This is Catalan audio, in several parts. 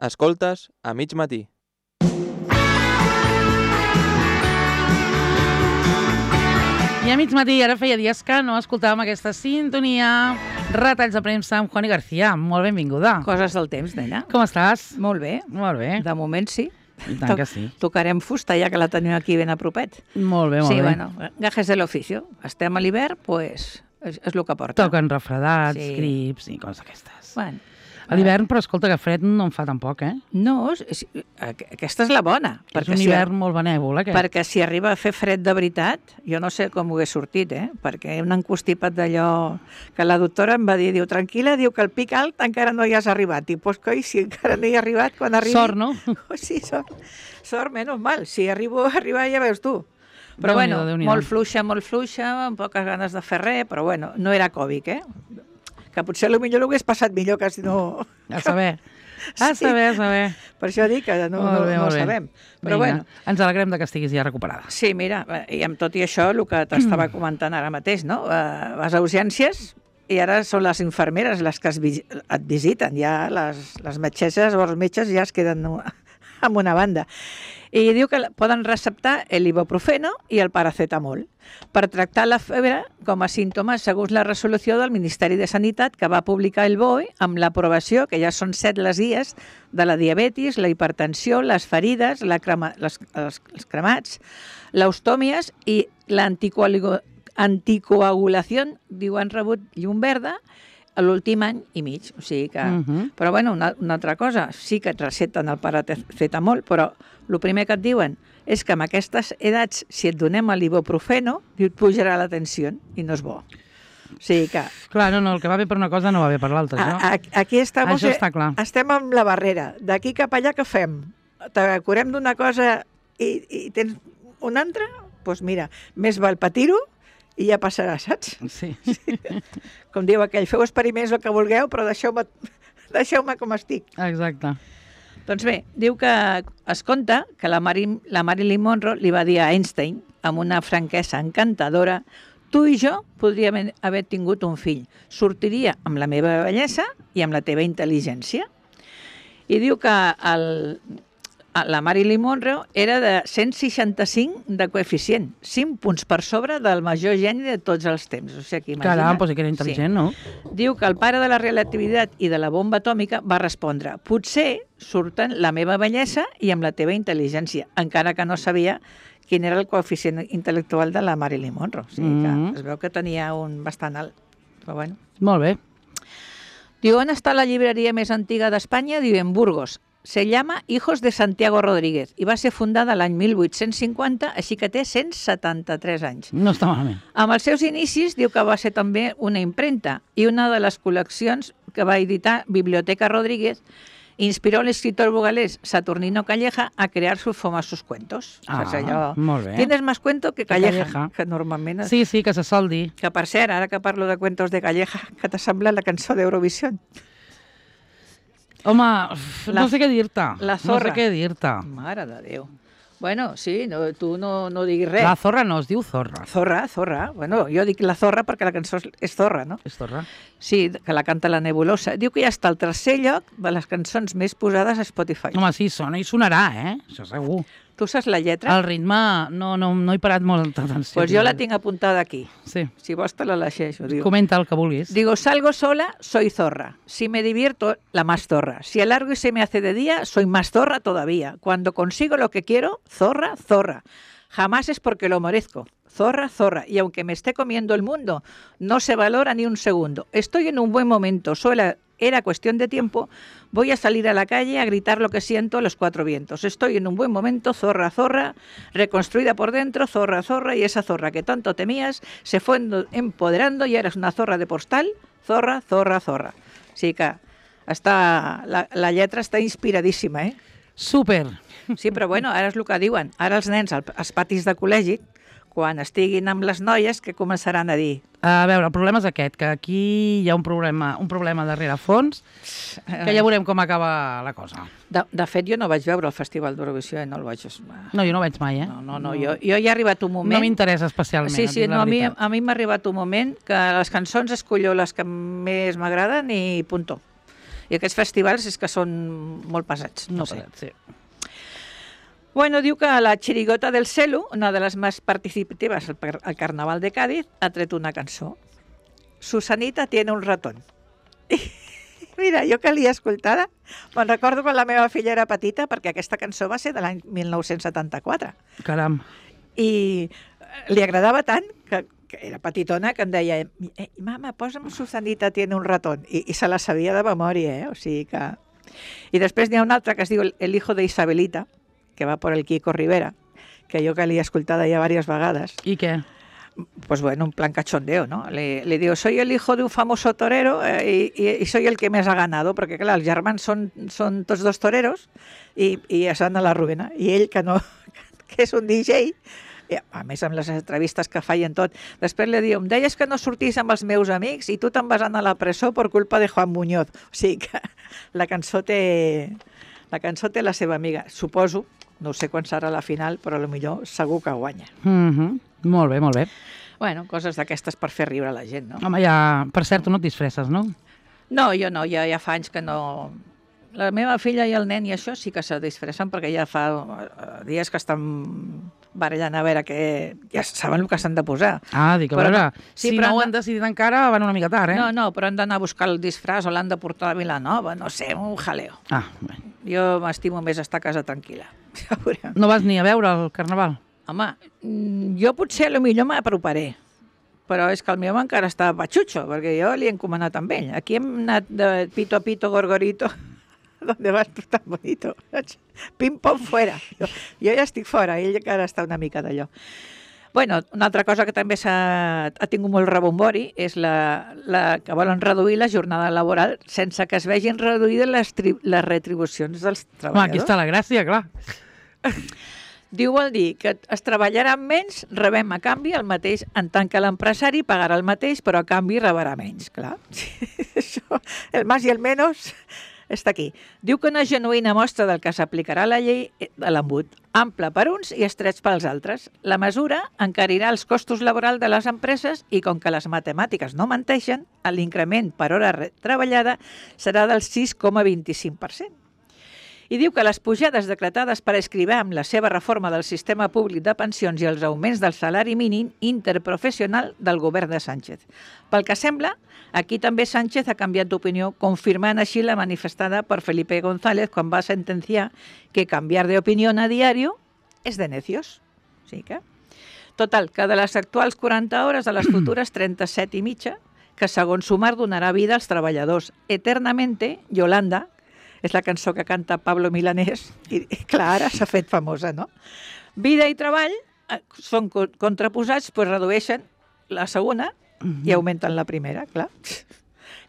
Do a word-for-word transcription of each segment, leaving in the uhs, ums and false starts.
Escoltes a mig matí. I a mig matí, ara feia dies que no escoltàvem aquesta sintonia. Retalls de premsa amb Juani García. Molt benvinguda. Coses del temps, nena. Com estàs? Molt bé. Molt bé. De moment sí. I tant que sí. Tocarem fusta, ja que la tenim aquí ben a propet. Molt bé, molt sí, bé. Sí, bueno, gajes de l'oficio. Estem a l'hivern, doncs pues, és, és el que porta. Toquen refredats, Sí. grips i coses d'aquestes. Bueno, A l'hivern, però escolta, que fred no en fa tampoc, eh? no, és, és, aquesta és la bona. És un hivern molt benèvol, aquest. Perquè si arriba a fer fred de veritat, jo no sé com ho hagués sortit, eh? Perquè un encostipat d'allò que la doctora em va dir, diu, tranquil·la, diu que el pic alt encara no hi has arribat. I pues, coi, si encara no hi he arribat, quan arribi... Sort, no? Oh, sí, sort. Sort, menys mal. Si arribo a arribar, ja veus tu. Però Déu-n'hi-do, bueno, Déu-n'hi-do. molt fluixa, molt fluixa, amb poques ganes de fer res, però bueno, no era Covid, eh? Que potser potser l'hagués passat millor que si no... A saber. A Sí. saber, a saber. Per això dic que no, Molt no, bé, no molt bé. sabem. Però Vinga, bueno, ens alegrem de que estiguis ja recuperada. sí, mira, i amb tot i això, el que t'estava comentant ara mateix, no? Uh, vas a urgències i ara són les infermeres les que es vi et visiten, ja les, les metgesses o els metges ja es queden en una banda. I diu que poden receptar l'ibuprofeno i el paracetamol per tractar la febre com a símptomes segons la resolució del Ministeri de Sanitat que va publicar el B O E amb l'aprovació, que ja són set les guies, de la diabetis, la hipertensió, les ferides, la crema, les, els, els cremats, l'ostòmies i l'anticoagulació, diu, han rebut llum verda a l'últim any i mig. O sigui que... Uh -huh. Però bueno, una, una altra cosa, sí que et receten el paracetamol, però el primer que et diuen és que amb aquestes edats, si et donem l'ibuprofeno, et pujarà la tensió i no és bo. O sigui que... Clar, no, no, el que va bé per una cosa no va bé per l'altra, A, això. a, aquí estamos, Això està clar. estem amb la barrera. D'aquí cap allà què fem? Te curem d'una cosa i, i tens una altra? Doncs pues mira, més val patir-ho i ja passarà, saps? Sí. Com diu aquell, feu experiments el que vulgueu, però deixeu-me deixeu-me com estic. Exacte. Doncs bé, diu que es conta que la, Mari, la Marilyn Monroe li va dir a Einstein, amb una franquesa encantadora, tu i jo podríem haver tingut un fill. Sortiria amb la meva bellesa i amb la teva intel·ligència. I diu que el, la Marilyn Monroe era de cent seixanta-cinc de coeficient, cinc punts per sobre del major geni de tots els temps. O sigui, que imagina't. Caram, doncs sí que era intel·ligent, Sí. no? Diu que el pare de la relativitat i de la bomba atòmica va respondre potser surten la meva bellesa i amb la teva intel·ligència, encara que no sabia quin era el coeficient intel·lectual de la Marilyn Monroe. O sigui que Mhm. es veu que tenia un bastant alt. Però bueno. Molt bé. Diu, on està la llibreria més antiga d'Espanya? Diu, en Burgos. Se llama Hijos de Santiago Rodríguez i va ser fundada l'any mil vuit-cents cinquanta, així que té cent setanta-tres anys. No està malament. Amb els seus inicis, diu que va ser també una impremta i una de les col·leccions que va editar Biblioteca Rodríguez inspiró al escritor burgalés Saturnino Calleja a crear sus famosos cuentos. Ah, Saps allò? molt bé. Tienes más cuento que Calleja, Calleja. que normalment... Sí, sí, que se sol dir. Que per cert, ara que parlo de cuentos de Calleja, què t'ha semblat la cançó d'Eurovisió? Home, uf, La- no sé què dir-te. la zorra. No sé què dir-te. Mare de Déu. Bueno, sí, no, tu no, no diguis res. La zorra no, es diu zorra. Zorra, zorra. Bueno, jo dic la zorra perquè la cançó és- és zorra, no? És zorra. Sí, que la canta la Nebulosa. Diu que ja està al tercer lloc de les cançons més posades a Spotify. Home, sí, sona i sonarà, eh? Això segur. Tu saps la lletra? El ritme, no, no, no he parat molta atenció. Doncs pues jo la tinc apuntada aquí. Sí, Si vols te la llegeixo. Diu. comenta el que vulguis. Digo, salgo sola, soy zorra. Si me divierto, la más zorra. Si alargo y se me hace de día, soy más zorra todavía. Cuando consigo lo que quiero, zorra, zorra. Jamás es porque lo merezco. Zorra, zorra. Y aunque me esté comiendo el mundo, no se valora ni un segundo. Estoy en un buen momento. Solo era cuestión de tiempo. Voy a salir a la calle a gritar lo que siento a los cuatro vientos. Estoy en un buen momento, zorra, zorra, reconstruida por dentro, zorra, zorra, y esa zorra que tanto temías se fue empoderando y eres una zorra de postal, zorra, zorra, zorra. Sí que està, la, la lletra està inspiradíssima, eh? Super. Sí, però bueno, ara és el que diuen. Ara els nens al- als patis de col·legi, quan estiguin amb les noies, que començaran a dir... A veure, el problema és aquest, que aquí hi ha un problema, un problema darrere fons, que ja veurem com acaba la cosa. De, de fet, jo no vaig veure el Festival d'Eurovisió i no el vaig... No, jo no ho veig mai, eh? No, no, no, jo, jo ja ha arribat un moment... No m'interessa especialment. Sí, et sí, dic la no, a mi, veritat. a mi m'ha arribat un moment que les cançons escollo les que més m'agraden i punto. I aquests festivals és que són molt pesats. No No sé. sé, sí. Bueno, diu que la Chirigota del Celu, una de les més participatives al, al Carnaval de Cádiz, ha tret una cançó. Susanita tiene un ratón. Mira, jo que l'he escoltada, me'n recordo quan la meva filla era petita, perquè aquesta cançó va ser de l'any mil nou-cents setanta-quatre. Caram. I li agradava tant que, que era petitona, que em deia eh, mama, posa'm Susanita tiene un ratón. I, I se la sabia de memòria, eh? O sigui que... I després n'hi ha una altra que es diu El hijo de Isabelita, que va por el Kiko Rivera, que jo que l'he escoltada ja diverses vegades. I què? Pues bueno, un plan cachondeo, ¿no? Le, le digo, soy el hijo de un famoso torero eh, y, y soy el que més ha ganado, perquè clar, els germans són, són tots dos toreros i, i es van a la ruïna. I ell, que no, que és un D J, i a més amb les entrevistes que feien tot, després li diu, em deies que no sortís amb els meus amics i tu te'n vas anar a la presó per culpa de Juan Muñoz. O sigui que la cançó té, la cançó té la seva amiga, suposo. No sé quan serà la final, però potser segur que guanya. Mm -hmm. Molt bé, molt bé. Bueno, coses d'aquestes per fer riure la gent, no? Home, ja... Per cert, tu no et disfresses, no? No, jo no, ja, ja fa anys que no... La meva filla i el nen i això sí que se disfressen perquè ja fa uh, dies que estan barallant a veure que ja saben el que s'han de posar. Ah, dic, a Però veure, no. Sí, si però no ho no- han decidit encara, van una mica tard, eh? No, no, però han d'anar a buscar el disfraç o l'han de portar a Vilanova, no sé, un jaleo. Ah, bé. Jo m'estimo més estar a casa tranquil·la. Ja veurem. No vas ni a veure el Carnaval? Home, mm, jo potser a lo millor m'aproparé, però és que el meu encara està patxutxo, perquè jo li he encomanat amb ell. Aquí hem anat de pito a pito, gorgorito, ¿dónde vas tú tan bonito? Pim-pom, fuera. Jo, jo ja estic fora, ell encara està una mica d'allò. Bueno, una altra cosa que també s'ha ha tingut molt rebombori és la, la que volen reduir la jornada laboral sense que es vegin reduïdes les, tri, les retribucions dels Home, treballadors. aquí està la gràcia, clar. Diu vol dir que es treballarà menys, rebem a canvi el mateix, en tant que l'empresari pagarà el mateix, però a canvi rebrà menys, clar. Això, el más i el menos està aquí. Diu que una genuïna mostra del que s'aplicarà la llei de l'embut, ample per uns i estrets pels altres. La mesura encarirà els costos laborals de les empreses i, com que les matemàtiques no menteixen, l'increment per hora re- treballada serà del sis coma vint-i-cinc per cent. I diu que les pujades decretades per Escrivà amb la seva reforma del sistema públic de pensions i els augments del salari mínim interprofessional del govern de Sánchez. Pel que sembla, aquí també Sánchez ha canviat d'opinió, confirmant així la manifestada per Felipe González quan va sentenciar que canviar de opinión a diario és de necios. Sí que... Total, que de les actuals quaranta hores a les futures trenta-set i mitja, que segons Sumar donarà vida als treballadors. Eternamente, Yolanda, és la cançó que canta Pablo Milanés, i clar, ara s'ha fet famosa, no? Vida i treball eh, són co- contraposats, doncs redueixen la segona i augmenten la primera, clar.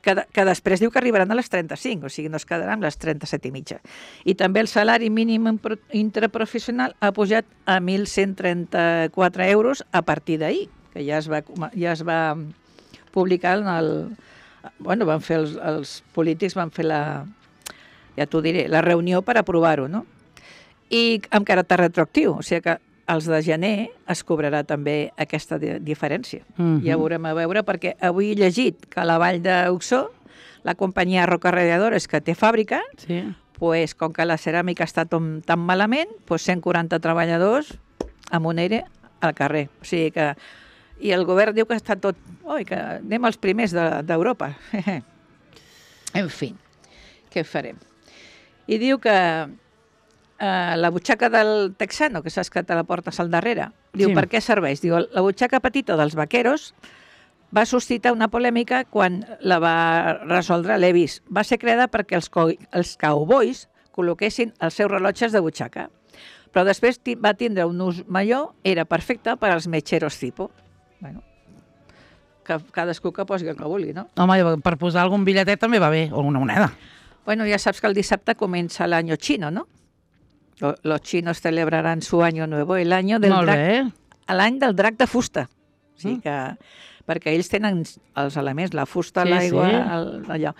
Que, de, que després diu que arribaran a les trenta-cinc, o sigui, no es quedaran les trenta-set i mitja. I també el salari mínim impro- interprofessional ha pujat a mil cent trenta-quatre euros a partir d'ahir, que ja es va, coma- ja es va publicar en el... Bueno, van fer els, els polítics van fer la... ja t'ho diré, la reunió per aprovar-ho, no? I amb caràcter retroactiu, o sigui que els de gener es cobrarà també aquesta di diferència. Mhm. Ja veurem a veure, perquè avui he llegit que a la Vall d'Uxó, la companyia Roca Radiadores, que té fàbrica, Sí. pues, com que la ceràmica està tan, tan malament, pues cent quaranta treballadors amb un aire al carrer. O sigui que... I el govern diu que està tot... Oi, que anem els primers d'Europa. De, en fi, què farem? I diu que eh, la butxaca del texano, que saps que te la portes al darrere, diu, Sí. per què serveix? Diu, la butxaca petita dels vaqueros va suscitar una polèmica quan la va resoldre l'Evis. Va ser creada perquè els, co els cowboys col·loquessin els seus rellotges de butxaca. Però després ti- va tindre un ús major, era perfecte per als metgeros tipo. Bueno, que cadascú que posi el que vulgui, no? Home, per posar algun bitlletet també va bé, o una moneda. Bueno, ya sabes que el dissabte comienza el año chino, ¿no? Lo- Los chinos celebrarán su año nuevo, el año del Molt drac, bé. l'any del drac de fusta. O sigui Mm. que, perquè ells tenen els elements, la fusta, Sí, l'aigua, sí. el- allò.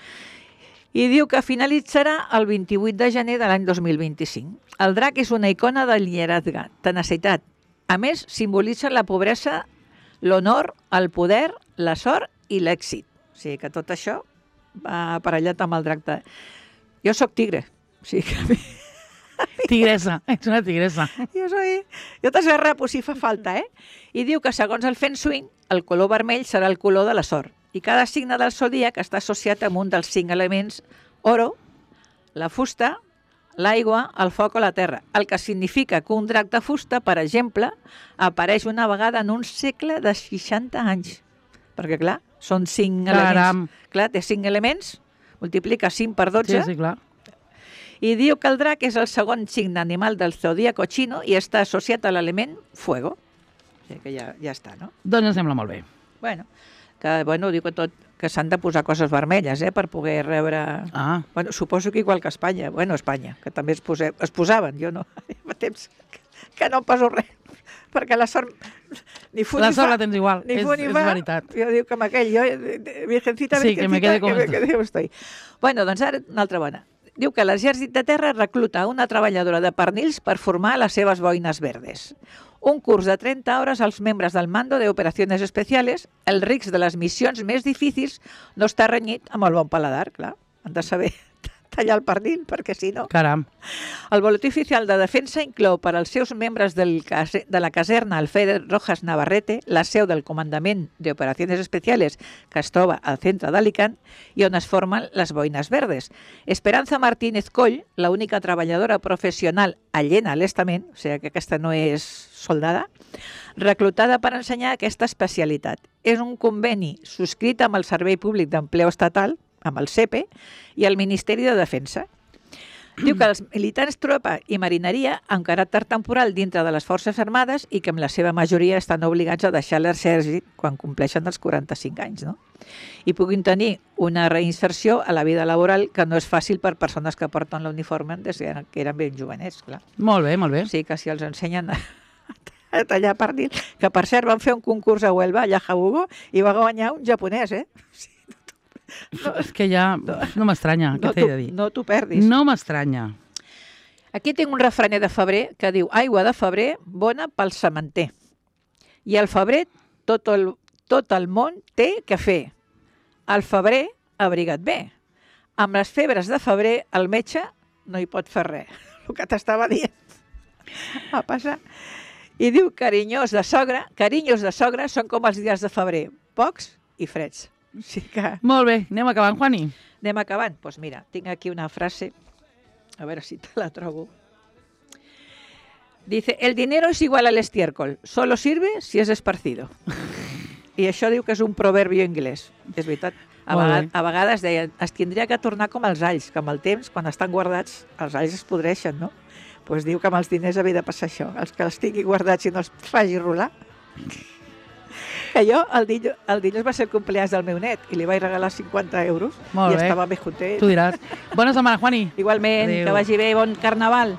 I diu que finalitzarà el vint-i-vuit de gener de l'any dos mil vint-i-cinc. El drac és una icona del lideratge, tenacitat. A més, simbolitza la pobresa, l'honor, el poder, la sort i l'èxit. O sigui que tot això va aparellat amb el drac de... Jo sóc tigre, o sigui que a mi... Tigresa, ets una tigresa. Jo soy... Jo t'esgarrapo si fa falta, eh? I diu que segons el Feng Shui, el color vermell serà el color de la sort. I cada signe del zodíac està associat amb un dels cinc elements oro, la fusta, l'aigua, el foc o la terra. El que significa que un drac de fusta, per exemple, apareix una vegada en un segle de seixanta anys. Perquè, clar, són cinc Caram. elements. Clar, té cinc elements, multiplica cinc per dotze, Sí, sí, clar. i diu que el drac és el segon signe animal del zodíaco xino i està associat a l'element fuego. O sigui que ja, ja està, no? Doncs em sembla molt bé. Bueno, que, bueno, diu que tot que s'han de posar coses vermelles, eh, per poder rebre... Ah, Bueno, suposo que igual que Espanya. Bueno, Espanya, que també es, posem, es posaven, jo no. Fa temps que, que no em poso res, perquè la sort ni fu la ni sort fa, la tens igual, ni és, fu ni és fa. veritat. Jo dic que amb aquell, jo, eh, virgencita, Sí, que me quede como que me estoy. quede como estoy. Bueno, doncs ara una altra bona. Diu que l'exèrcit de terra recluta una treballadora de pernils per formar les seves boines verdes. Un curs de trenta hores als membres del Mando de Operaciones Especiales, el risc de les missions més difícils no està renyit amb el bon paladar, clar. Han de saber tallar el pernil, perquè si no... Caram. El boletí oficial de defensa inclou per als seus membres del case, de la caserna Alfredo Rojas Navarrete, la seu del Comandament de Operaciones Especiales, que es troba al centre d'Alicant, i on es formen les boines verdes. Esperanza Martínez Coll, la única treballadora professional allena a l'estament, o sigui que aquesta no és soldada, reclutada per ensenyar aquesta especialitat. És un conveni subscrit amb el Servei Públic d'Empleo Estatal, amb el S E P E, i el Ministeri de Defensa. Diu que els militants tropa i marineria amb caràcter temporal dintre de les Forces Armades i que amb la seva majoria estan obligats a deixar l'exèrcit quan compleixen els quaranta-cinc anys, no? I puguin tenir una reinserció a la vida laboral que no és fàcil per persones que porten l'uniforme des que eren ben jovenets, clar. Molt bé, molt bé. O sigui que si els ensenyen a, a tallar pernil, que per cert van fer un concurs a Huelva, allà a Jabugo, i va guanyar un japonès, eh? No, és que ja no m'estranya, No què t'he de t'ho dir? no t'ho perdis. No m'estranya. Aquí tinc un refrener de febrer que diu aigua de febrer bona pel sementer. I al febrer tot el, tot el món té que fer. Al febrer abriga't bé. Amb les febres de febrer el metge no hi pot fer res. El que t'estava dient. Va passar. I diu carinyós de sogra, carinyos de sogra són com els dies de febrer, pocs i freds. O sigui que Molt bé, anem acabant, Juani. anem acabant. Doncs pues mira, tinc aquí una frase, a veure si te la trobo. Dice, el dinero es igual al estiércol, solo sirve si es esparcido. I això diu que és un proverbio anglès. És veritat. A, Molt vegades, bé. a vegades deien, es tindria que tornar com els alls, que amb el temps, quan estan guardats, els alls es podreixen, no? Doncs pues diu que amb els diners havia de passar això. Els que els tingui guardats i no els faci rolar. Que jo, el dilluns, el dilluns va ser el cumpleaños del meu net i li vaig regalar cinquanta euros Molt i bé. estava més content. Tu diràs. Bona setmana, Juani. Igualment, Adéu. que vagi bé, bon carnaval.